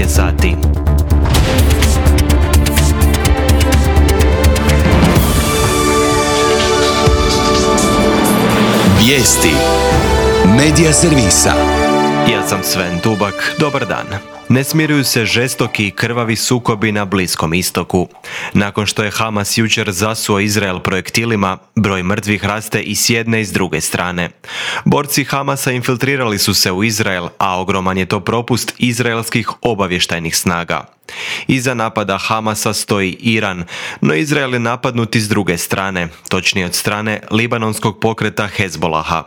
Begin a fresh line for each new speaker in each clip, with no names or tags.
je sati.
Vijesti Medija servisa.
Ja sam Sven Dubak, dobar dan. Ne smiruju se žestoki i krvavi sukobi na Bliskom istoku. Nakon što je Hamas jučer zasuo Izrael projektilima, broj mrtvih raste i s jedne i s druge strane. Borci Hamasa infiltrirali su se u Izrael, a ogroman je to propust izraelskih obavještajnih snaga. Iza napada Hamasa stoji Iran, no Izrael je napadnut i s druge strane, točnije od strane libanonskog pokreta Hezbolaha.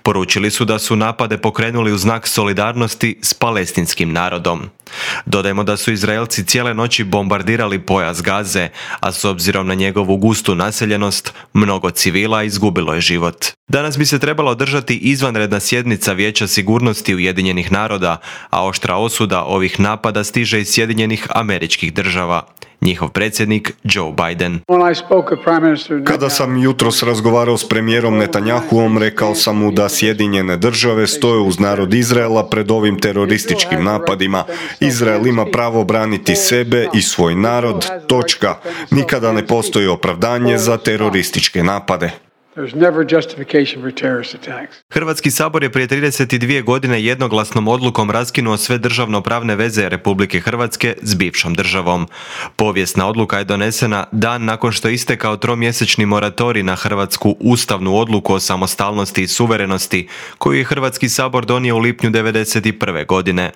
Poručili su da su napade pokrenuli u znak solidarnosti s palestinskim narodom. Dodajmo da su Izraelci cijele noći bombardirali pojas Gaze, a s obzirom na njegovu gustu naseljenost, mnogo civila izgubilo je život. Danas bi se trebala održati izvanredna sjednica Vijeća sigurnosti Ujedinjenih naroda, a oštra osuda ovih napada stiže iz Sjedinjenih Američkih Država. Njihov predsjednik Joe Biden.
Kada sam jutros razgovarao s premijerom Netanjahuom, rekao sam mu da Sjedinjene Države stoje uz narod Izraela pred ovim terorističkim napadima. Izrael ima pravo braniti sebe i svoj narod, točka. Nikada ne postoji opravdanje za terorističke napade.
Hrvatski sabor je prije 32 godine jednoglasnom odlukom raskinuo sve državno-pravne veze Republike Hrvatske s bivšom državom. Povijesna odluka je donesena dan nakon što je istekao tromjesečni moratorij na hrvatsku ustavnu odluku o samostalnosti i suverenosti, koju je Hrvatski sabor donio u lipnju 1991. godine.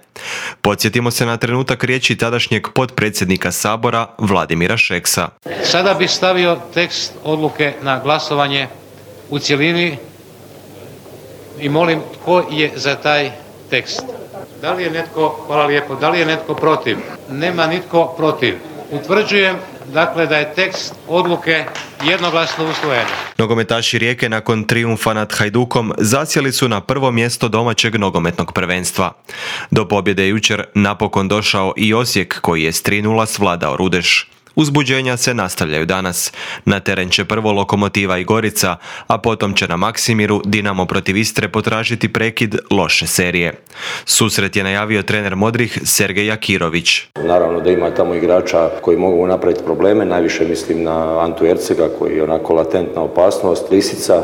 Podsjetimo se na trenutak riječi tadašnjeg potpredsjednika Sabora Vladimira Šeksa.
Sada bih stavio tekst odluke na glasovanje u cjelini i molim tko je za taj tekst. Da li je netko, hvala lijepo, da li je netko protiv? Nema nitko protiv. Utvrđujem dakle da je tekst odluke jednoglasno usvojen.
Nogometaši Rijeke nakon trijumfa nad Hajdukom zasjeli su na prvo mjesto domaćeg nogometnog prvenstva. Do pobjede je jučer napokon došao i Osijek koji je s 3:0 svladao Rudeš. Uzbuđenja se nastavljaju danas. Na teren će prvo Lokomotiva i Gorica, a potom će na Maksimiru Dinamo protiv Istre potražiti prekid loše serije. Susret je najavio trener Modrih Sergej Jakirović.
Naravno da ima tamo igrača koji mogu napraviti probleme, najviše mislim na Antu Ercega koji je onako latentna opasnost, Lisica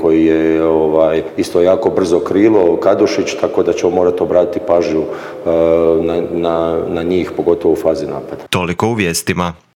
koji je isto jako brzo krilo, Kadušić, tako da ćemo morati obratiti pažnju na njih, pogotovo u fazi napada.
Toliko u vijestima.